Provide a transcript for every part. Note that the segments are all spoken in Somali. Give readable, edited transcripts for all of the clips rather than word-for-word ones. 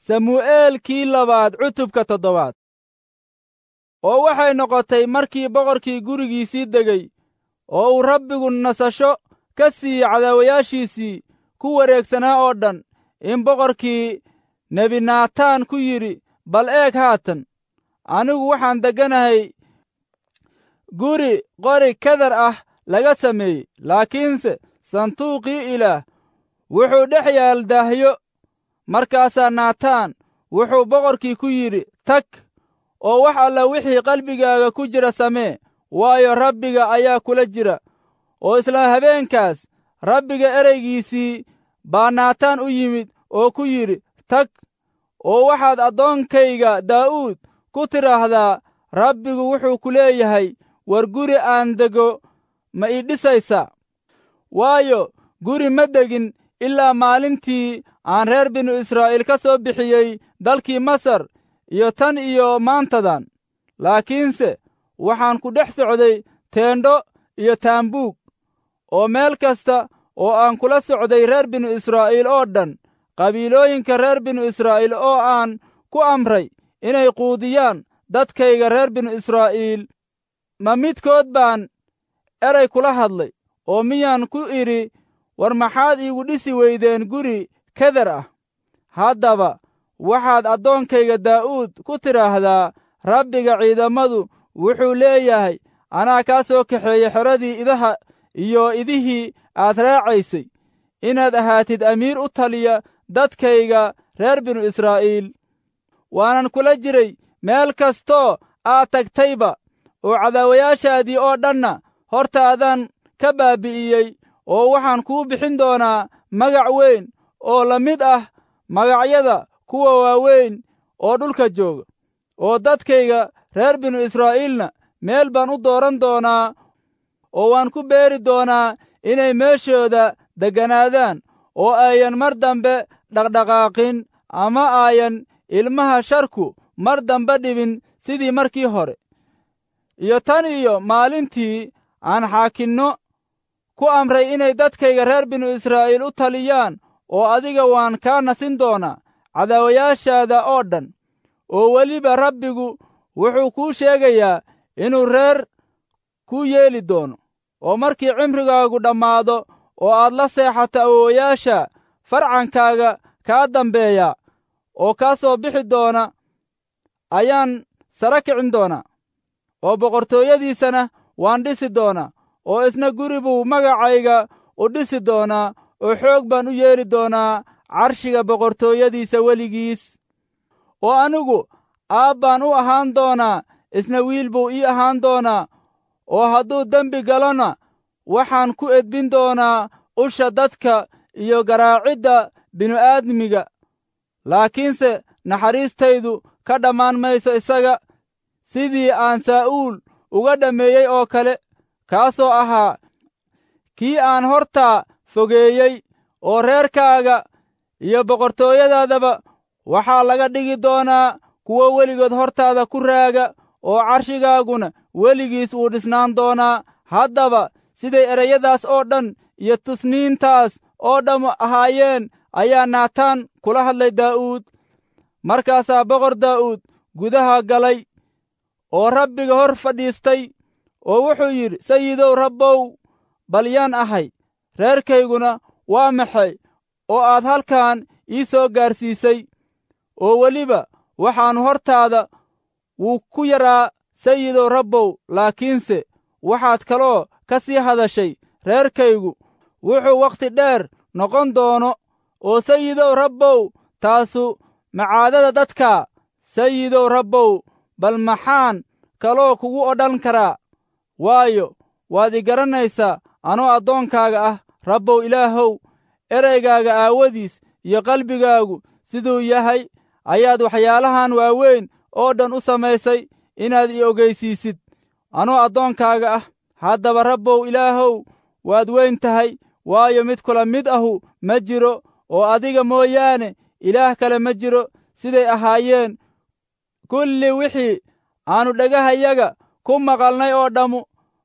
Samu'eelkii labaad cutubka toddobaad. Oo waxay noqotay markii boqorkii gurigiisii degay oo uu Rabbigu nasasho ka siiyey cadaawayaashiisii ku wareegsanaa oo dhan, in boqorkii nebi Naataan ku yidhi, "Bal eeg haatan, anigu waxaan degganahay guri qori kedar ah laga sameeyey, laakiinse sanduuqii Ilaah wuxuu dhex yaal daahyo." Markaasaa Naataan wuxuu boqorkii ku yidhi, "Tag oo wax alla wixii qalbigaaga ku jira samee, waayo, Rabbiga ayaa kula jira." Oo isla habeenkaas Rabbiga ereygiisii baa Naataan u yimid oo ku yidhi, "Tag oo waxaad addoonkayga Daa'uud ku tidhaahdaa, Rabbigu wuxuu ku leeyahay, war guri aan dego ma ii dhisaysaa? Waayo, guri ma degin ilaa maalintii aan reer binu Israa'iil ka soo bixiyey dalkii Masar iyo tan iyo maantadan. Laakiinse waxaan ku dhex socday teendho iyo taambuug, oo meel kasta oo aan kula socday reer binu Israa'iil oo dhan, qabiilooyinka reer binu Israa'iil oo aan ku amray inay quudiyaan dadkayga reer binu Israa'iil, ma midkood baan eray kula hadlay, oo miyaan ku idhi, war maxaad iigu dhisi weydeen guri kedar ah? Haddaba waxaad addoonkayga Daa'uud ku tidhaahdaa, Rabbiga ciidammadu wuxuu leeyahay, anaa kaa soo kaxeeyey xeradii idaha iyo idihii aad raacaysay, inaad ahaatid amiir u taliya dadkayga reer binu Israa'iil. Waanan kula jiray meel kastoo aad tagtayba, oo cadaawayaashaadii oo dhanna hortaadaan ka baabbi'iyey, oo waxaan kuu bixin doonaa magac weyn oo la mid ah magacyada kuwa waaweyn oo dhulka jooga. Oo dadkayga reer binu Israa'iilna meel baan u dooran doonaa, oo waan ku beeri doonaa inay meeshooda degganaadaan, oo ayan mar dambe dhaqdhaqaaqin ama aayan ilmaha sharku mar dambe dhibin sidii markii hore. Iyo tan iyo maalintii aan xaakinno ku amray inay dadkayga reer binu Israa'iil u taliyaan, oo adiga waan kaa nasin doonaa cadaawayaashaada oo dhan. Oo weliba Rabbigu wuxuu kuu sheegayaa inuu reer kuu yeeli doono. Oo markii cimrigaagu dhammaado oo aad la seexato awowayaasha, farcankaaga kaa dambeeya oo kaa soo bixi doona ayaan sara kicin doonaa, oo boqortooyadiisana waan dhisi doonaa, oo isna guri buu magacayga u dhisi doonaa, oo xoog baan u yeeli doonaa carshiga boqortooyadiisa weligiis. Oo anigu aab baan u ahaan doonaa, isna wiil buu ii ahaan doonaa, oo hadduu dembi galona waxaan ku edbin doonaa usha dadka iyo garaacidda bini'aadmiga. Laakiinse naxariistaydu ka dhammaan mayso isaga, sidii aan Saa'uul uga dhammeeyey oo kale, kaasoo ahaa kii aan hortaa fogeeyey. Oo reerkaaga iyo boqortooyadaadaba waxaa laga dhigi doonaa kuwo weligood hortaada ku raaga, oo carshigaaguna weligiis wuu dhisnaan doonaa." Haddaba siday ereyadaas oo dhan iyo tusniintaas oo dhammu ahaayeen ayaa Naataan kula hadlay Daa'uud. Markaasaa boqor Daa'uud gudaha galay oo Rabbiga hor fadhiistay, oo wuxuu yidhi, "Sayidow Rabbow, bal yaan ahay, reerkayguna waa maxay oo aad halkan ii soo gaarsiisay? Oo weliba waxaannu hortaada wuu ku yaraa, Sayidow Rabbow, laakiinse waxaad kaloo ka sii hadashay reerkaygu wuxuu wakhti dheer noqon doono. Oo Sayidow Rabbow, taasu macaadada dadka. Sayidow Rabbow, bal maxaan kaloo kugu odhan karaa? Waayo, waad i garanaysaa anoo addoonkaaga ah. Rabbow Ilaahow, eraygaaga aawadiis iyo qalbigaagu siduu yahay ayaad waxyaalahan waaweyn oo dhan u samaysay inaad i ogaysiisid anoo addoonkaaga ah. Haddaba Rabbow Ilaahow, waad weyn tahay, waayo, mid kula mid ahu ma jiro, oo adiga mooyaane ilaah kale ma jiro. Siday ahaayeen kulli wixii aannu dhagahayaga ku maqalnay oo dhammu,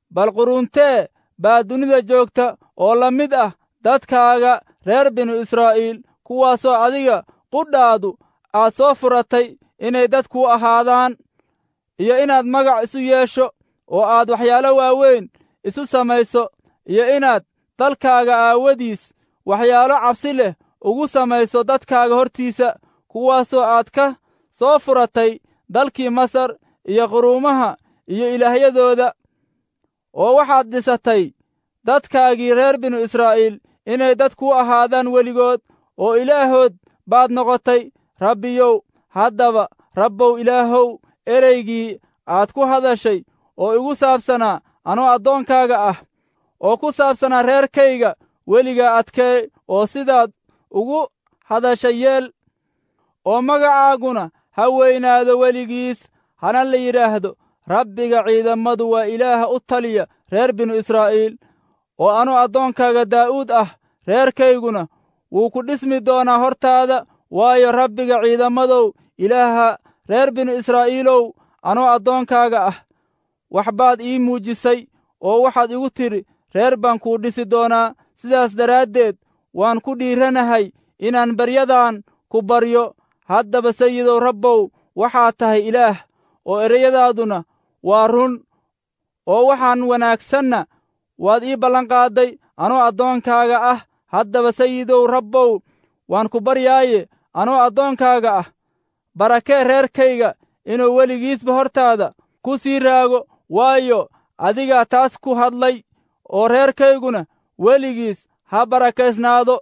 bal quruntee baa dunida joogta oo la mid ah dadkaaga reer binu Israa'iil, kuwaasoo adiga qudhaadu aad soo furatay inay dad kuu ahaadaan, iyo inaad magac isu yeesho oo aad waxyaalo waaweyn isu samayso, iyo inaad dalkaaga aawadiis waxyaalo cabsi leh ugu samayso dadkaaga hortiisa, kuwaasoo aad ka soo furatay dalkii Masar iyo quruumaha iyo ilaahyadooda. Oo waxaad dhisatay dadkaagii reer binu Israa'iil inay dad kuu ahaadaan weligood, oo Ilaahood baad noqotay. Rabbiyow, haddaba Rabbow Ilaahow, ereygii aad ku hadashay oo igu saabsanaa anoo addoonkaaga ah, oo ku saabsanaa reerkayga, weligaa adkee oo sidaad ugu hadashay yeel, oo magacaaguna ha weynaado weligiis, hana la yidhaahdo, Rabbiga ciidammadu waa Ilaaha u taliya reer binu Israa'iil. Oo anuu addoonkaaga Daa'uud ah reerkayguna wuu ku dhismi doonaa hortaada, waayo, Rabbiga ciidamadow, Ilaaha reer binu Israa'iilow, anoo addoonkaaga ah wax baad ii muujisay, oo waxaad igu tidhi, reer baan kuu dhisi doonaa. Sidaas daraaddeed waan ku dhiiranahay inaan baryadan ku baryo. Haddaba Sayidow Rabbow, waxaad tahay Ilaah, oo ereyadaaduna waa run, oo waxaan wanaagsanna waad ii ballanqaadday anoo addoonkaaga ah. Haddaba Sayidow Rabbow, waan ku baryaaye, anoo addoonkaaga ah barakee reerkayga inuu weligiisba hortaada ku sii raago, waayo, adigaa taas ku hadlay, oo reerkayguna weligiis ha barakaysnaado.